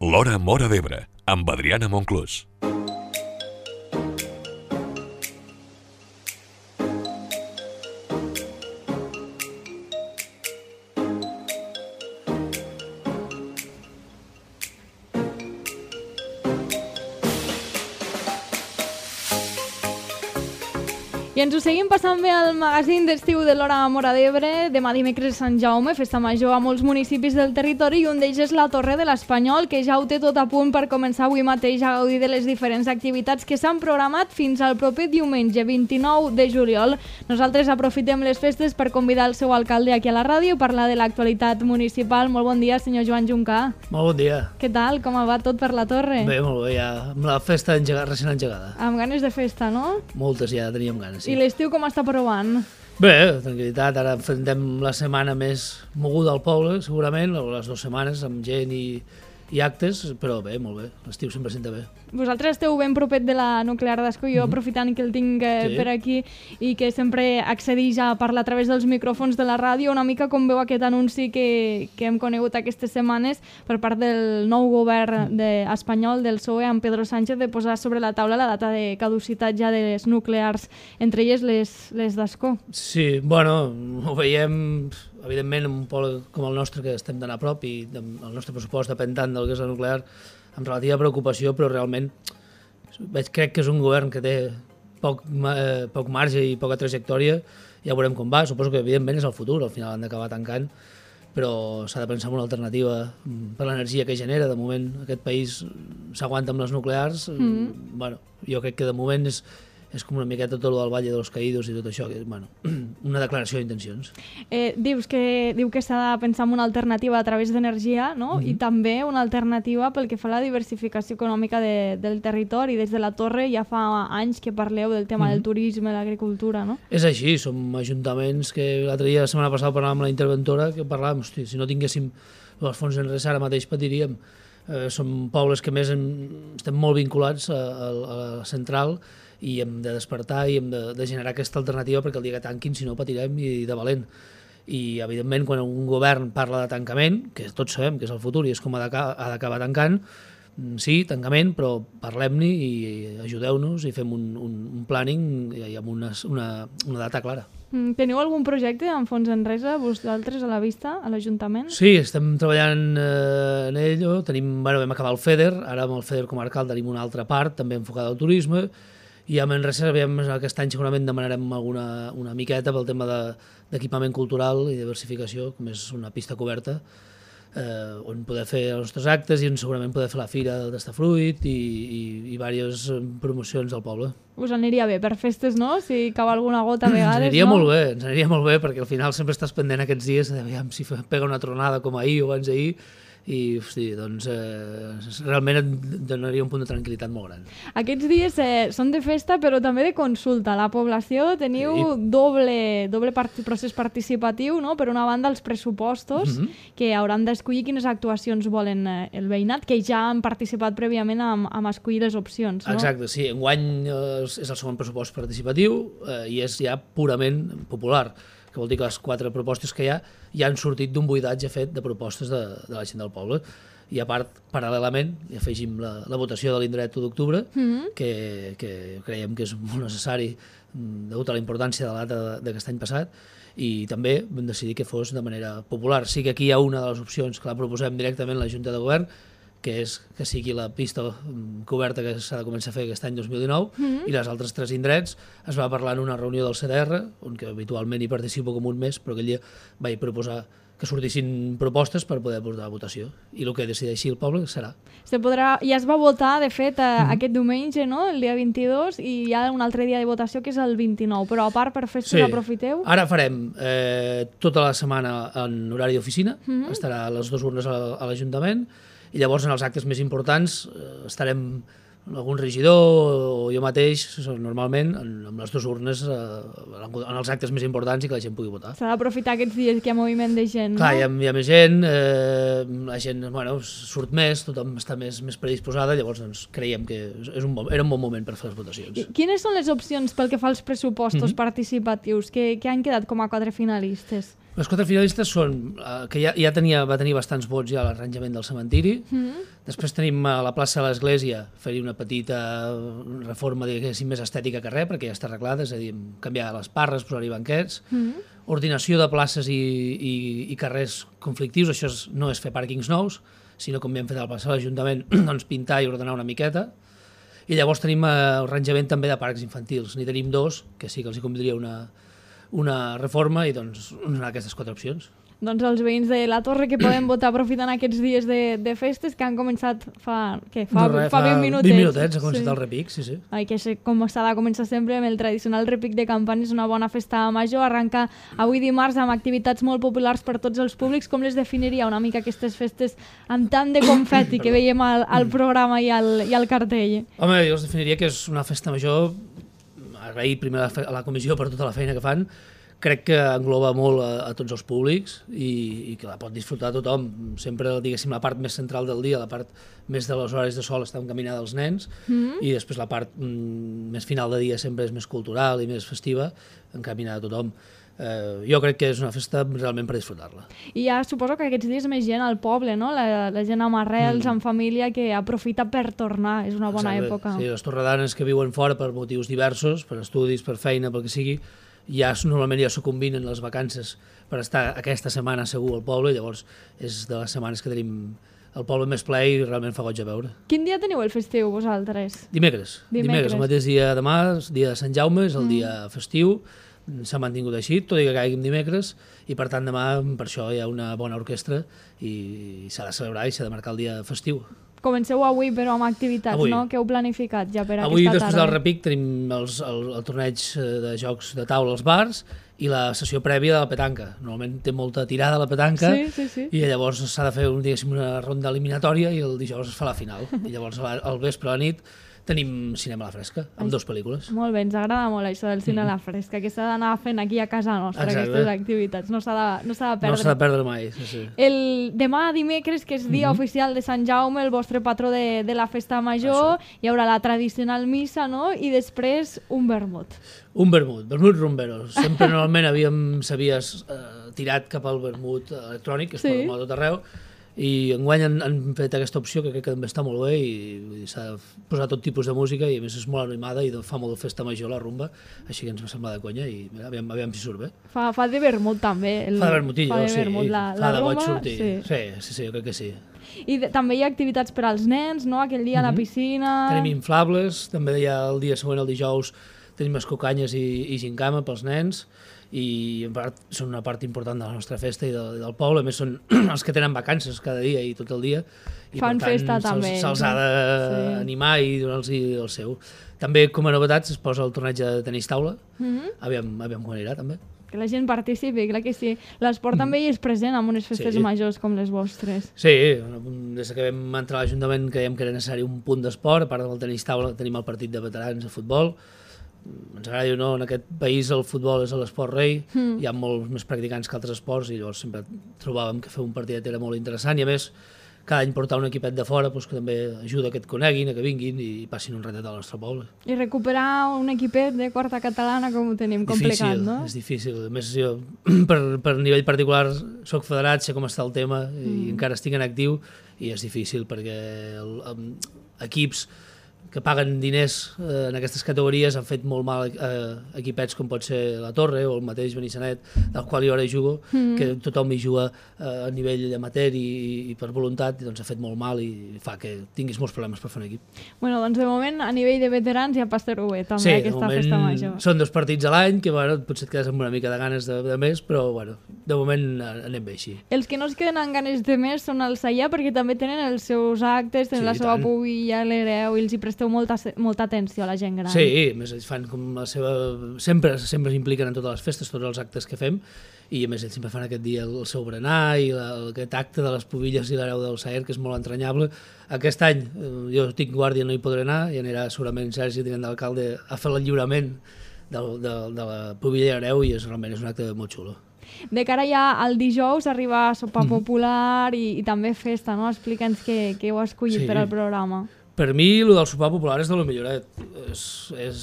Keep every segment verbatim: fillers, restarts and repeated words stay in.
L'Hora Móra d'Ebre, amb Adriana Monclús. I ens ho seguim passant bé al magazín d'estiu de l'Hora Móra d'Ebre. Demà dimecres Sant Jaume, festa major a molts municipis del territori, i un d'ells és la Torre de l'Espanyol, que ja ho té tot a punt per començar avui mateix a gaudir de les diferents activitats que s'han programat fins al proper diumenge vint-i-nou de juliol. Nosaltres aprofitem les festes per convidar el seu alcalde aquí a la ràdio i parlar de l'actualitat municipal. Molt bon dia, senyor Joan Juncà. Molt bon dia. Què tal? Com va tot per la Torre? Bé, molt bé, ja amb la festa engegada, recent engegada. Amb ganes de festa, no? Moltes ja teníem ganes, sí. I l'estiu com està provant? Bé, tranquil·litat, ara enfrontem la setmana més moguda al poble, segurament, o les dues setmanes, amb gent i, i actes, però bé, molt bé, l'estiu sempre senta bé. Vosaltres esteu ben propet de la nuclear d'Ascó, jo aprofitant que el tinc eh, Sí. per aquí i que sempre accedeix a parlar a través dels micròfons de la ràdio, una mica com veu aquest anunci que, que hem conegut aquestes setmanes per part del nou govern de, espanyol del P S O E amb Pedro Sánchez de posar sobre la taula la data de caducitat ja de les nuclears, entre elles les, les d'Ascó. Sí, bueno, ho veiem, evidentment, en un poble com el nostre, que estem tan a prop i el nostre pressupost depèn tant del que és la nuclear, amb relativa preocupació, però realment veig, crec que és un govern que té poc, eh, poc marge i poca trajectòria. Ja veurem com va, suposo que evidentment és el futur, al final han d'acabar tancant, però s'ha de pensar en una alternativa per l'energia que genera. De moment aquest país s'aguanta amb les nuclears. Mm. Bueno, jo crec que de moment és, és com una miqueta tot el del Valle de los Caídos i tot això, que és bueno, una declaració d'intencions. Eh, dius que, diu que s'ha de pensar en una alternativa a través d'energia, no? Mm-hmm. I també una alternativa pel que fa a la diversificació econòmica de, del territori. Des de la Torre ja fa anys que parleu del tema mm-hmm. del turisme, l'agricultura, no? És així, som ajuntaments que l'altre dia, la setmana passada, parlàvem amb la interventora, que parlàvem, hosti, si no tinguéssim els fons en res ara mateix patiríem. Eh, som pobles que més en, estem molt vinculats a, a, a la central i hem de despertar i hem de, de generar aquesta alternativa perquè el dia que tanquin, si no, patirem i de valent. I, evidentment, quan un govern parla de tancament, que tots sabem que és el futur i és com ha d'acabar tancant, sí, tancament, però parlem-ne i ajudeu-nos i fem un, un, un planning i amb una, una, una data clara. Teniu algun projecte amb fons en resa, vosaltres, a la vista, a l'Ajuntament? Sí, estem treballant eh, en ello. Tenim, bueno, vam acabar el FEDER, ara amb el FEDER comarcal tenim una altra part, també enfocada al turisme, i a Manresa aquest any segurament demanarem alguna una miqueta pel tema d'equipament de, cultural i diversificació, com és una pista coberta, eh, on poder fer els nostres actes i on segurament poder fer la fira del Tastafruit i, i, i diverses promocions del poble. Us aniria bé per festes, no? Si cau alguna gota a vegades, ens aniria no? molt bé, ens aniria molt bé, perquè al final sempre estàs pendent aquests dies de veure si pega una tronada com ahir o abans d'ahir, i hosti, doncs, eh, realment et donaria un punt de tranquil·litat molt gran. Aquests dies eh, són de festa però també de consulta. La població teniu Sí. doble, doble part procés participatiu, no? Per una banda els pressupostos, Mhm. que hauran d'escollir quines actuacions volen eh, el veïnat, que ja han participat prèviament amb, amb escollir les opcions, no? Exacte, sí, enguany eh, és el segon pressupost participatiu eh, i és ja purament popular, que vol dir que les quatre propostes que hi ha ja han sortit d'un buidatge fet de propostes de, de la gent del poble. I a part, paral·lelament, hi afegim la, la votació de l'indret u d'octubre, Mhm. que, que creiem que és molt necessari mm, degut a la importància de la data d'aquest any passat, i també vam decidir que fos de manera popular. Sí que aquí hi ha una de les opcions que la proposem directament a la Junta de Govern, que és que sigui la pista mm, coberta que s'ha de començar a fer aquest any dos mil dinou, Mhm. i les altres tres indrets es va parlar en una reunió del C D R, on que habitualment hi participo com un mes, però aquell dia vaig proposar que sortissin propostes per poder portar a votació. I el que decideixi el poble serà. Se podrà, ja es va votar, de fet, eh, aquest diumenge, no? El dia vint-i-dos, i hi ha un altre dia de votació que és el vint-i-nou, però a part per festes aprofiteu? Ara farem eh, tota la setmana en horari d'oficina, Mhm. estarà a les dues urnes a, a l'Ajuntament, i llavors en els actes més importants eh, estarem algun regidor o jo mateix, normalment, en, amb les dues urnes eh, en els actes més importants i que la gent pugui votar. S'ha d'aprofitar aquests dies que hi ha moviment de gent, Clar, no? hi ha, hi ha més gent, eh, la gent bueno, surt més, tothom està més, més predisposada, llavors doncs, creiem que és un bon, era un bon moment per fer les votacions. I quines són les opcions pel que fa als pressupostos Mhm. participatius que, que han quedat com a quatre finalistes? Les quatre finalistes són, eh, que ja, ja tenia, va tenir bastants vots ja a l'arranjament del cementiri. Mm-hmm. Després tenim a la plaça de l'Església, fer-hi una petita reforma, diguéssim, més estètica que res, perquè ja està arreglada, és a dir, canviar les parres, posar-hi banquets, mm-hmm. ordinació de places i, i, i carrers conflictius, això és, no és fer pàrquings nous, sinó com hem fet a la plaça de l'Ajuntament, doncs pintar i ordenar una miqueta. I llavors tenim arranjament també de parcs infantils, n'hi tenim dos, que sí que els hi convindria una... una reforma i doncs donar aquestes quatre opcions. Doncs els veïns de la Torre que poden votar aprofitant aquests dies de, de festes que han començat fa, què, fa, no res, fa vint minutets. vint minutets ha començat sí. el repic, sí, sí. Ai, que com s'ha de començar sempre amb el tradicional repic de campanes, una bona festa major, arranca avui dimarts amb activitats molt populars per tots els públics. Com les definiria una mica aquestes festes amb tant de confeti que veiem al, al programa i al, i al cartell? Home, jo els definiria que és una festa major, agrair primer a la comissió per tota la feina que fan, crec que engloba molt a, a tots els públics i, i que la pot disfrutar tothom. Sempre, diguéssim, la part més central del dia, la part més de les hores de sol està encaminada als nens mm-hmm. i després la part mm, més final de dia sempre és més cultural i més festiva, encaminada a tothom. Eh, jo crec que és una festa realment per disfrutar-la. I ja suposo que aquests dies més gent al poble, no? La, la gent amb arrels, mm. amb família, que aprofita per tornar, és una bona Exacte. època. Sí, les torredanes que viuen fora per motius diversos, per estudis, per feina, pel que sigui, ja normalment ja s'ho combinen les vacances per estar aquesta setmana segur al poble, llavors és de les setmanes que tenim el poble més ple i realment fa goig a veure. Quin dia teniu el festiu vosaltres? Dimecres. Dimecres, Dimecres el mateix dia demà, el dia de Sant Jaume, és el mm. dia festiu, s'ha mantingut així, tot i que caiguin dimecres, i per tant demà per això hi ha una bona orquestra i s'ha de celebrar i s'ha de marcar el dia festiu. Comenceu avui, però amb activitats, avui. No? Que heu planificat ja per avui, aquesta tarda? Avui, després del repic, tenim els, el, el torneig de jocs de taula als bars i la sessió prèvia de la petanca. Normalment té molta tirada la petanca sí, sí, sí. i llavors s'ha de fer un, una ronda eliminatòria i el dijous es fa la final. I llavors al vespre a la nit tenim cinema a la fresca, amb dues pel·lícules. Molt bé, ens agrada molt això del cine mm. a la fresca, que s'ha d'anar fent aquí a casa nostra, Exacte. Aquestes activitats, no s'ha de, no s'ha de perdre. No s'ha de perdre mai, sí, sí. El demà dimecres, que és dia mm-hmm. oficial de Sant Jaume, el vostre patró de, de la festa major, això. Hi haurà la tradicional missa, no? I després un vermut. Un vermut, vermut rumberos. Sempre normalment havíem, s'havia eh, tirat cap al vermut electrònic, que es sí. pot a tot arreu, i enguany han, han fet aquesta opció que crec que també està molt bé i, i s'ha posat tot tipus de música i a més és molt animada i fa molt de festa major la rumba, així que ens va semblar de conya i mira, aviam, aviam si surt bé. Fa, fa de vermut també. El, fa de vermutillo, fa de sí. Vermut, la, fa la de rumba, boig sortir. Sí. Sí, sí, sí, jo crec que sí. I de, també hi ha activitats per als nens, no? Aquell dia mm-hmm. a la piscina... Tenim inflables, també hi ha el dia següent, el dijous, tenim escocanyes i, i gincama pels nens i en part són una part important de la nostra festa i del, del poble, a més són els que tenen vacances cada dia i tot el dia i fan per tant festa també se'ls ha d'animar sí. i donar-los el seu. També com a novetats es posa el torneig de tenis taula, mm-hmm. aviam, aviam com anirà també. Que la gent participi, clar que sí. L'esport mm. també hi és present en unes festes sí. majors com les vostres. Sí, des que vam entrar a l'Ajuntament creiem que era necessari un punt d'esport, a part del tenis taula tenim el partit de veterans de futbol. Ens agrada o no, en aquest país el futbol és l'esport rei, mm. hi ha molts més practicants que altres esports i llavors sempre trobàvem que fer un partidet era molt interessant i a més cada any portar un equipet de fora doncs, que també ajuda que et coneguin, a que vinguin i passin un ratet al nostre poble. I recuperar un equipet de quarta catalana com ho tenim complicat, difícil, no? És difícil, a més jo per, per nivell particular soc federat, sé com està el tema i mm. encara estic en actiu i és difícil perquè el, el, equips que paguen diners eh, en aquestes categories han fet molt mal eh, equipets com pot ser la Torre o el mateix Benissanet, del qual jo ara hi jugo, mm. que tothom hi juga eh, a nivell amateur i, i per voluntat, i doncs ha fet molt mal i fa que tinguis molts problemes per fer un equip. Bueno, doncs de moment a nivell de veterans ja passareu bé també sí, aquesta festa major. Són dos partits a l'any, que bueno, potser et quedes amb una mica de ganes de, de més, però bueno, de moment anem bé així. Els que no es queden amb ganes de més són els Saià, perquè també tenen els seus actes, tenen sí, la seva pubilla, l'hereu, i els hi presteu molta, molta atenció a la gent gran. Sí, més ells fan com la seva... Sempre sempre s'impliquen en totes les festes, tots els actes que fem, i a més ells sempre fan aquest dia el seu berenar i la, aquest acte de les pubilles i l'hereu del Saer, que és molt entranyable. Aquest any jo tinc guàrdia, no hi podré anar, i anirà segurament Sergi, tinent d'alcalde, a fer el lliurament de, de, de la pubilla i l'hereu, i és, realment és un acte molt xulo. De cara ja al dijous arriba sopar mm. popular i, i també festa, no? Explica'ns què, què heu escollit sí. per al programa. Per mi, el del sopar popular és de lo milloret. És, és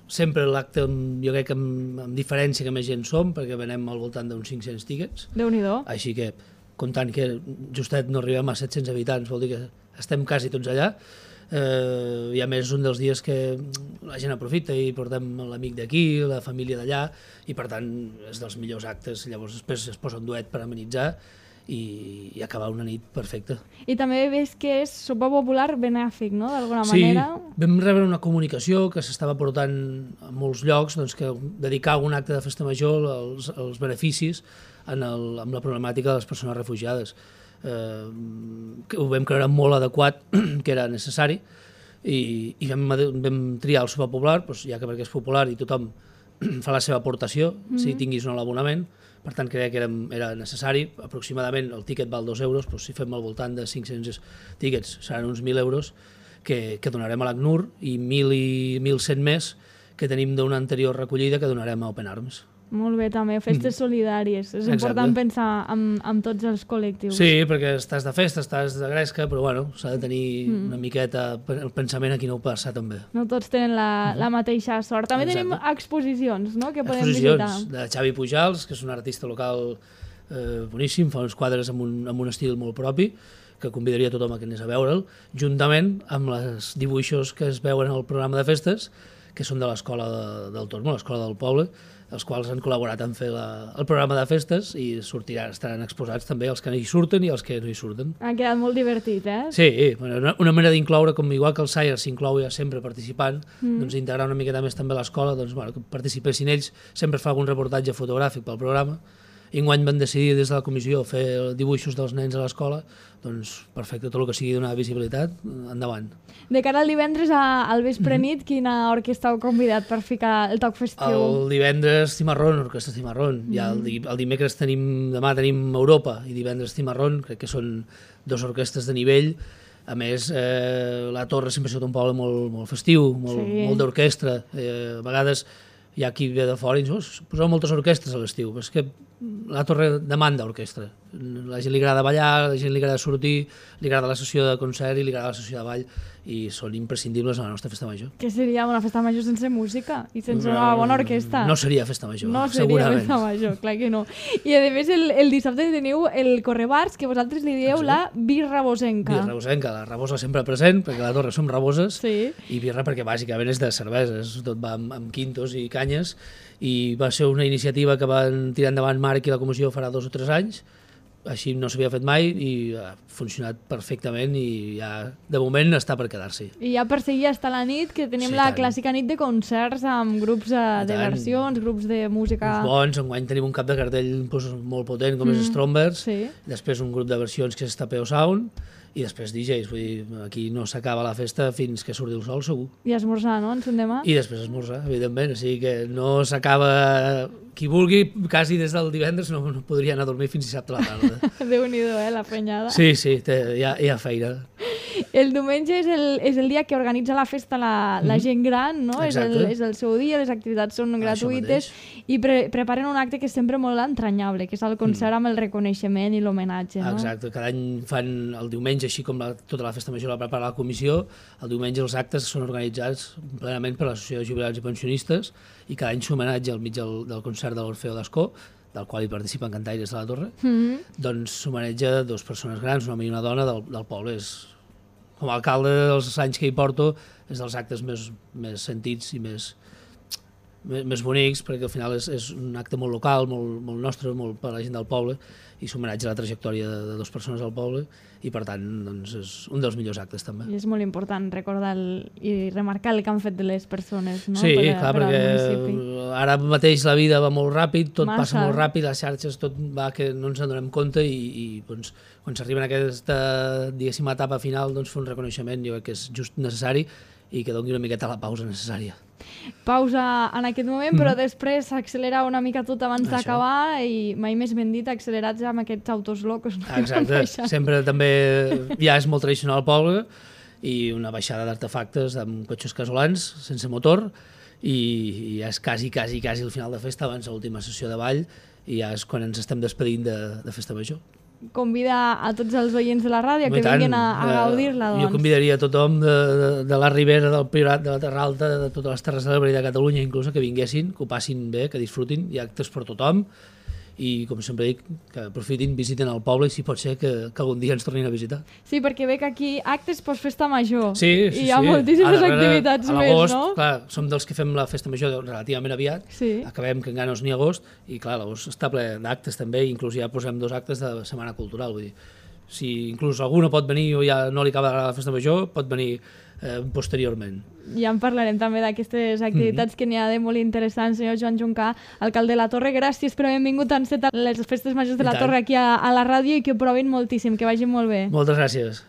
sempre l'acte, jo crec que amb, amb diferència que més gent som, perquè venem al voltant d'uns cinc-cents tíquets. Déu-n'hi-do. Així que, comptant que justet no arribem a set-cents habitants, vol dir que estem quasi tots allà. Eh, I a més és un dels dies que la gent aprofita i portem l'amic d'aquí, la família d'allà, i per tant és dels millors actes. Llavors després es posa un duet per amenitzar i, i acabar una nit perfecta. I també veus que és sopa popular benèfic, no?, d'alguna Sí, manera. vam rebre una comunicació que s'estava portant a molts llocs, doncs, que dedicar un acte de festa major als, als beneficis en el, amb la problemàtica de les persones refugiades. Eh, que ho vam creure molt adequat, que era necessari, i, i vam, vam triar el sopar popular, doncs, ja que perquè és popular i tothom fa la seva aportació, mm-hmm. si tinguis o no l'abonament, per tant creia que era, era necessari. Aproximadament el tíquet val dos euros, doncs, si fem al voltant de cinc-cents tíquets seran uns mil euros que, que donarem a l'ACNUR i mil i mil cent més que tenim d'una anterior recollida que donarem a Open Arms. Molt bé, també, festes mm. solidàries. És Exacte. Important pensar en, en tots els col·lectius. Sí, perquè estàs de festa, estàs de gresca, però bueno, s'ha de tenir mm. una miqueta el pensament a qui no ho passa també. No tots tenen la, mm. la mateixa sort. També Exacte. Tenim exposicions, no?, que podem exposicions visitar. de Xavi Pujals, que és un artista local eh, boníssim, fa uns quadres amb un, amb un estil molt propi, que convidaria tothom a que anés a veure'l, juntament amb els dibuixos que es veuen al programa de festes, que són de l'escola de, del Tormo, l'escola del poble, els quals han col·laborat en fer la, el programa de festes i sortiran, estaran exposats també els que hi surten i els que no hi surten. Ha quedat molt divertit, eh? Sí, bueno, una, una manera d'incloure, com igual que el Sayer s'inclou ja sempre participant, mm. doncs integrar una miqueta més també l'escola, doncs bueno, que participessin ells, sempre fa algun reportatge fotogràfic pel programa. I enguany van decidir des de la comissió fer dibuixos dels nens a l'escola, doncs perfecte, tot el que sigui donar visibilitat, endavant. De cara al divendres a, al vespre nit, quina orquestra heu convidat per ficar el toc festiu? El divendres Cimarrón, Orquestra Cimarrón. Mm. Ja el, di el dimecres tenim, demà tenim Europa i divendres Cimarrón, crec que són dos orquestres de nivell. A més, eh, la Torre sempre ha sigut un poble molt, molt festiu, molt, sí. molt d'orquestra. Eh, a vegades hi ha qui ve de fora i diu, oh, poseu moltes orquestres a l'estiu, però és que la Torre demanda orquestra. La gent li agrada ballar, la gent li agrada sortir, li agrada la sessió de concert i li agrada la sessió de ball, i són imprescindibles a la nostra festa major. Que seria una festa major sense música i sense una bona orquestra? No seria festa major, no seria segurament. festa major, clar que no. I a més el, el dissabte teniu el Correbars, que vosaltres li dieu Exacte. La birra bosenca. Birra bosenca, la rabosa sempre present, perquè a la Torre som raboses, sí. i birra perquè bàsicament és de cerveses, tot va amb, amb quintos i canyes, i va ser una iniciativa que van tirar endavant Marc i la comissió farà dos o tres anys, així no s'havia fet mai i ha funcionat perfectament i ja de moment està per quedar-s'hi. I ja per seguir hasta la nit, que tenim sí, la tant. Clàssica nit de concerts amb grups de, de versions, grups de música... Uns bons, enguany tenim un cap de cartell doncs, molt potent com mm. és Strombers, sí. després un grup de versions que és Tapeo Sound, i després D Js, vull dir, aquí no s'acaba la festa fins que surti el sol, segur. I esmorzar, no?, ens demà? I després esmorzar, evidentment, o sigui que no s'acaba... Qui vulgui, quasi des del divendres no, no podria anar a dormir fins dissabte a la tarda. Déu-n'hi-do, eh, la fenyada. Sí, sí, té, hi, ha, hi ha feina. El diumenge és el, és el dia que organitza la festa la, la gent gran, no? És el, és el seu dia, les activitats són gratuïtes i pre preparen un acte que és sempre molt entranyable, que és el concert mm. amb el reconeixement i l'homenatge, no? Exacte, cada any fan el diumenge, així com la, tota la festa major la prepara la comissió, el diumenge els actes són organitzats plenament per l'Associació de Jubilats i Pensionistes i cada any s'homenatge al mig del, del concert de l'Orfeo d'Ascó, del qual hi participen cantaires de la Torre, mm-hmm. doncs s'homenatja dues persones grans, un home i una dona del, del poble. És, com a alcalde dels anys que hi porto, és dels actes més, més sentits i més, més, més bonics, perquè al final és, és un acte molt local, molt, molt nostre, molt per a la gent del poble, i s'homenatja a la trajectòria de, de dues persones del poble, i per tant doncs, és un dels millors actes també. I és molt important recordar el, i remarcar el que han fet de les persones, no? Sí, per, clar, per perquè ara mateix la vida va molt ràpid, tot Massa. passa molt ràpid, les xarxes, tot va que no ens en donem compte i, i doncs, quan s'arriba a aquesta, diguéssim, etapa final, doncs fer un reconeixement jo crec que és just necessari i que doni una miqueta la pausa necessària. Pausa en aquest moment, mm. però després s'accelera una mica tot abans d'acabar i mai més ben dit, accelerats amb aquests autos locos. No? Exacte, sempre també ja és molt tradicional al poble i una baixada d'artefactes amb cotxes casolans sense motor i, i ja és quasi, quasi, quasi el final de festa abans de l'última sessió de ball i ja és quan ens estem despedint de, de festa major. convida a tots els oients de la ràdio Home, que tant, vinguin a, a eh, gaudir-la, doncs. Jo convidaria a tothom de, de, de la Ribera, del Priorat, de la Terra Alta, de totes les terres de l'Ebre i de Catalunya, inclús, que vinguessin, que ho passin bé, que disfrutin, hi ha actes per tothom, i com sempre dic, que aprofitin, visiten el poble i si pot ser que, que algun dia ens tornin a visitar. Sí, perquè veig aquí actes post festa major. Sí, sí, I hi ha sí. moltíssimes Ara, activitats a més, l'agost, no? clar, som dels que fem la festa major relativament aviat, Sí. acabem que encara no és ni agost, i clar, l'agost està ple d'actes també, i inclús ja posem dos actes de Setmana Cultural, vull dir, si inclús algú no pot venir o ja no li acaba la festa major, pot venir eh, posteriorment. Ja en parlarem també d'aquestes activitats mm-hmm. que n'hi ha de molt interessants. Senyor Joan Juncà, alcalde de la Torre, gràcies per haver vingut a encetar les festes majors de la Torre aquí a, a la ràdio i que ho provin moltíssim, que vagin molt bé. Moltes gràcies.